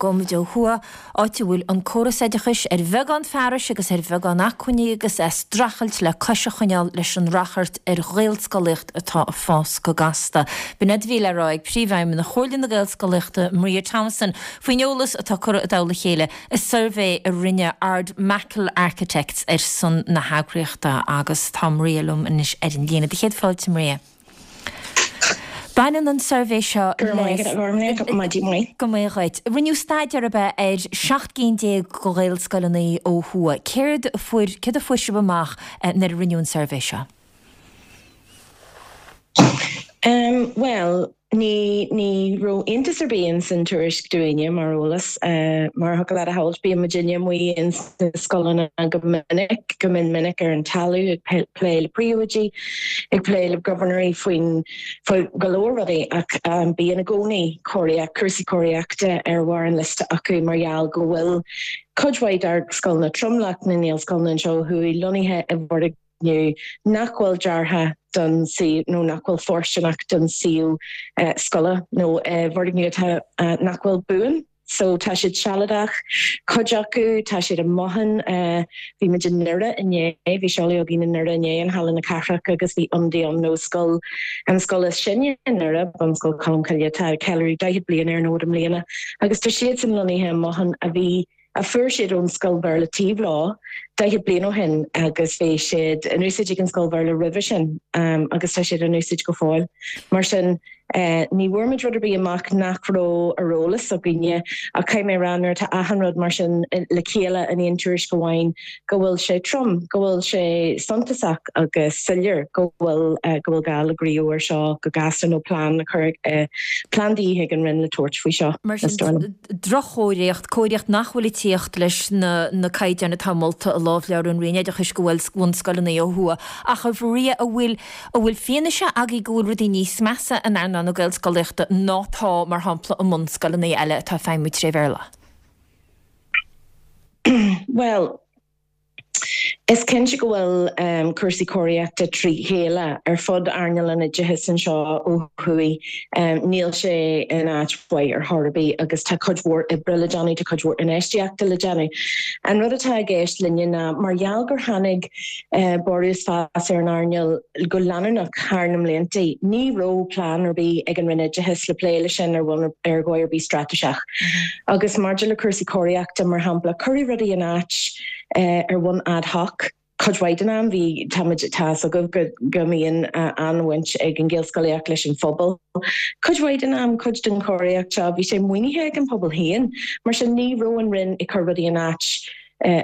Gabhfaimid ó thuaidh, áit a bhfuil an córas oideachais ar bheagán fearais agus ar bheagán acmhainní agus é ag streachailt le cois a choinneáil leis an ráchairt ar Ghaelscolaíocht atá ag fás go gasta. B'in é a bhí le rá ag Príomhfheidhmeannach Chomhairle na Gaelscolaíochta, Maria Thomason, faoin eolas atá curtha i dtoll a chéile i suirbhé a rinne Ardmackal Architects ar son na heagraíochta agus tá Maria liom anois ar an líne. Do chéad fáilte, Maria. Baineann an suirbhé seo le. Go raibh maith agat, a Ghormlaith, maidin mhaith. Go mba dhuit. Rinneadh staidéar ab ea ar 17 gcinn de Ghaelscoileanna ó thuaidh. Céard a fuair, céard a fuair sibh amach nuair a rinneadh an suirbhé seo? Bhuel, ní, ní raibh iontas ar bith ins an tuairisc dúinne, mar eolas. Mar a thiocfadh leat a shamhailt, bíonn muidinne amuigh ins na scoileanna go minic, go mion minic ar an talamh ag plé le príomhoidí, ag plé le gobharnóirí faoin, faoi go leor rudaí ach bíonn i gcónaí cóiríocht, cúrsaí cóiríochta ar bharr an liosta acu mar gheall go bhfuil cuid mhaith dár scoileanna, tromlach na nGaelscoileanna anseo ó thuaidh lonnaithe i bhfoirgnimh nach bhfuil deartha don suíomh nó nach bhfuil fóirsteanach don suíomh scoile nó i bhfoirgnimh atá nach bhfuil buan. So tá siad sealadach, cuid acu, tá siad i mbotháin. Bhí muid i nDoire inné, bhí seoladh againn i nDoire inné in Halla na Cathrach agus bhí ionadaí ann ó scoil, an scoil is sine i nDoire, Bunscoil Cholmcille, atá ag ceiliúradh 40 bliain ar an fhód i mbliana agus tá siadsan lonnaithe i mbothán a bhí, a fuair siad ón scoil Bhéarla taobh leo 40 bliain ó shin agus bhí siad in úsáid ag an scoil Bhéarla roimhe sin agus tá siad in úsáid go fóill. Mar sin, ní bhfuair muid rud ar bith amach nach raibh ar eolas againne ach caithfidh mé a rá nuair atá achan rud mar sin le chéile in aon tuairisc amháin go bhfuil sé trom, go bhfuil sé suntasach agus soiléir go bhfuil go bhfuil gá le gníomh ar seo go gasta nó plean a chur plean de dhíth ag an Roinn le tabhairt faoi seo, is dóigh liom. droch-chóiríocht, cóiríocht nach bhfuil ag tíocht leis na na caighdeáin atá molta i lámhleabhar an Roinn Oideachais do bhunscoileanna ó thuaidh. Ach a Mharia, an bhfuil, an bhfuil fianaise agaibh go bhfuil rudaí níos measa in earnáil na Gaelscolaíochta ná tá, mar shampla, i mbunscoileanna eile atá ag feidhmiú tré Bhéarla? Bhuel, Is cinnte go bhfuil cúrsaí cóiríochta trí chéile ar fud earnáil an oideachais anseo ó thuaidh. Níl sé in áit mhaith ar chor ar bith agus tá cuid mhór oibre le déanamh, tá cuid mhór infheistíochta le déanamh. An rud atá i gceist linne ná mar gheall gur tháinig borradh is fás ar an earnáil go leanúnach thar na mblianta, ní raibh plean ar bith ag an Roinn Oideachais le plé leis sin ar bhonn ar dhóigh ar bith straitéiseach. Agus maidir le cúrsaí cóiríochta, mar shampla, cuireadh rudaí in áit ar bhonn ad hoc cuid mhaith den am. Bhí, táimid, tá fhios agaibh go, go mbíonn an-bhaint ag an Ghaelscolaíocht leis an phobal. Cuid mhaith den am, cuid den chóiríocht seo, bhí sé maoinithe ag an phobal féin. Mar sin, ní raibh an Roinn ag cur rudaí in áit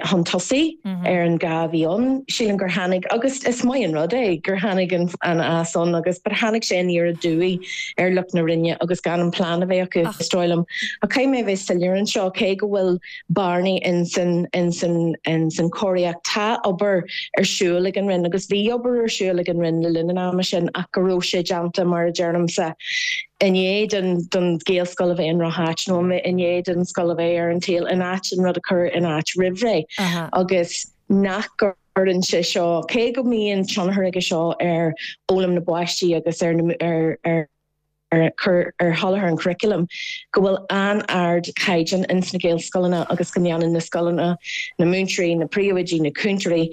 chun tosaigh ar an gá a bhí ann. Sílim gur tháinig, agus is maith an rud é, gur tháinig an fás ann agus, but tháinig sé aniar aduaidh ar lucht na Roinne agus gan an plean a bheith acu, is dóigh liom. Ach caithfidh mé a bheith soiléir anseo, cé go bhfuil bearnaí ins an, ins an, ins an chóiríocht, tá obair ar siúl ag an Roinn agus bhí obair ar siúl ag an Roinn le linn an ama sin ach go raibh sé déanta, mar a deirimse, i ndiaidh don, don Ghaelscoil a bheith i ndroch-áit nó i ndiaidh don scoil a bheith ar an tsaol in áit an rud a chur in áit roimh ré agus nach gcuireann sé seo, cé go mbíonn tionchar aige seo ar fhoghlaim na bpáistí agus ar na, ar, ar. ar chur ar sholáthar an churaclaim, go bhfuil an-ardchaighdeán ins na Gaelscoileanna agus go ndéanann na scoileanna, na múinteoirí, na príomhoidí, na cúntóirí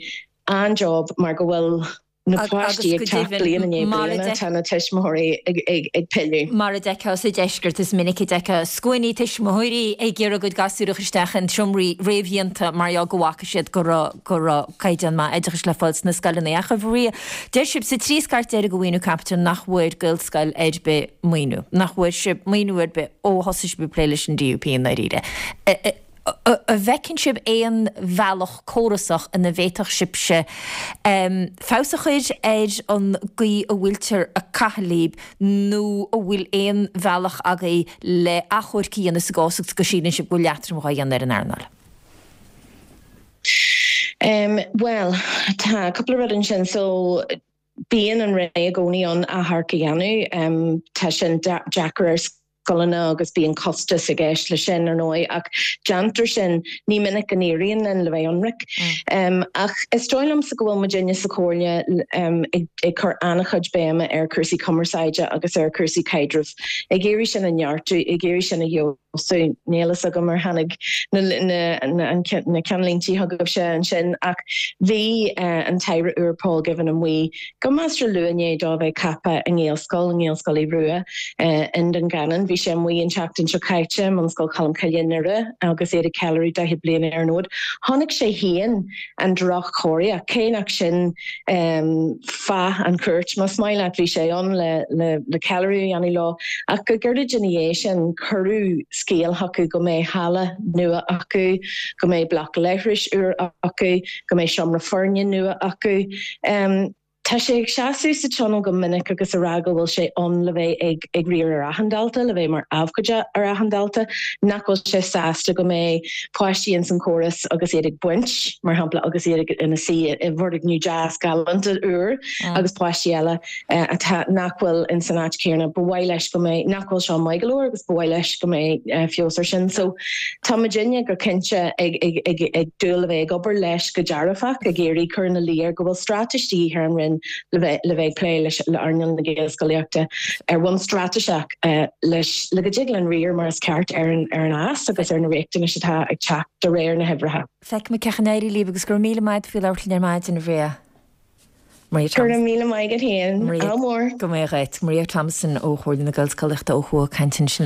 an-job mar go bhfuil na páistí ag teacht bliain i ndiaidh bliana, tá na tuismitheoirí ag pilleadh. Mar a d'fheicfeá sa deisceart, is minic a d'fheicfeá scuainí tuismitheoirí ag iarraidh a gcuid gasúr a chur isteach in seomraí réamhdhéanta mar gheall go bhfaca siad go raibh go raibh caighdeán maith oideachais le fáil sna scoileanna. Ach a Mharia, deir sibh sa trí scairt deiridh de mhaoiniú caipitil nach bhfuair Gaelscoil ar bith maoiniú, nach bhfuair sibh maoiniú ar bith ó thosaigh sibh ag plé leis an DUP i ndáiríre. An bhfeiceann sibh aon bhealach córasach ina bhféadfadh sibhse feabhas a chur ar an gcaoi a bhfuiltear ag caitheamh libh nó an bhfuil aon bhealach agaibh le achomharc a dhéanamh sa gcás go síleann sibh go bhfuil leatrom dhá dhéanamh ar an earnáil? Bhuel, tá cúpla rud ansin. So, bíonn an Roinn i gcónaí ann achomharc a dhéanamh. Tá sin deacair ar scoileanna agus bíonn costas i gceist leis sin, ar ndóigh, ach déantar sin. Ní minic go n-éiríonn linn, le bheith ionraic. Ach is dóigh liomsa go bhfuil muidinne sa Chomhairle ag cur an-chuid béime ar chúrsaí cumarsáide agus ar chúrsaí caidrimh, ag iarraidh sin a neartú, ag iarraidh sin a fheabhsú. feabhsú. Níl fhios agam ar tháinig na na ceannlíntí chugaibhse ansin ach bhí an tAire úr Paul Givan amuigh go measartha luath i ndiaidh dó a bheith ceaptha i nGaelscoil, i nGaelscoil Aodh Rua i nDún Geanainn. Bhí sé amuigh an tseachtain seo caite i mBunscoil Cholmcille i nDoire agus iad ag ceiliúradh 40 bliain ar an fhód. Chonaic sé féin an droch-chóiríocht, cé nach sin fáth an chuairt, más maith leat, bhí sé ann le le ceiliúradh a dhéanamh leo, ach go gairid ina dhiaidh sin cuireadh scéal chucu go mbeidh halla nua acu, go mbeidh bloc leithris úr acu, go mbeidh seomra foirne nua acu. Tá sé ag seasamh sa Tionól go minic agus a rá go bhfuil sé ann le bheith ag ag riar ar achan dalta, le bheith mar abhcóide ar achan dalta, nach bhfuil sé sásta go mbeidh páistí ins an chóras agus iad ag baint, mar shampla, agus iad ina suí i bhfoirgneamh deas galánta úr agus páistí eile atá, nach bhfuil ins an áit chéanna. Ba mhaith leis go mbeidh, nach bhfuil seo maith go leor agus ba mhaith leis go mbeidh feabhas ar sin. So tá muidinne go cinnte ag ag ag ag dúil le bheith ag obair leis go dearfach, ag iarraidh cur ina luí air go bhfuil straitéis de dhíth ar an Roinn le bheith le bheith ag plé leis le earnáil na Gaelscolaíochta ar bhonn straitéiseach leis le go dtig linn riar mar is ceart ar an ar an fhás agus ar na riachtanais atá ag teacht de réir na huimhreacha. Feicfimid cén chaoi a n-éireoidh libh agus go raibh míle maith agat faoi labhairt linn ar maidin, a Mharia. Maria Go raibh míle maith agat féin. Ádh mór. Go mbeidh dhuit. Maria Thompson ó Chomhairle na Gaelscolaíochta ó thuaidh ag caint ansin.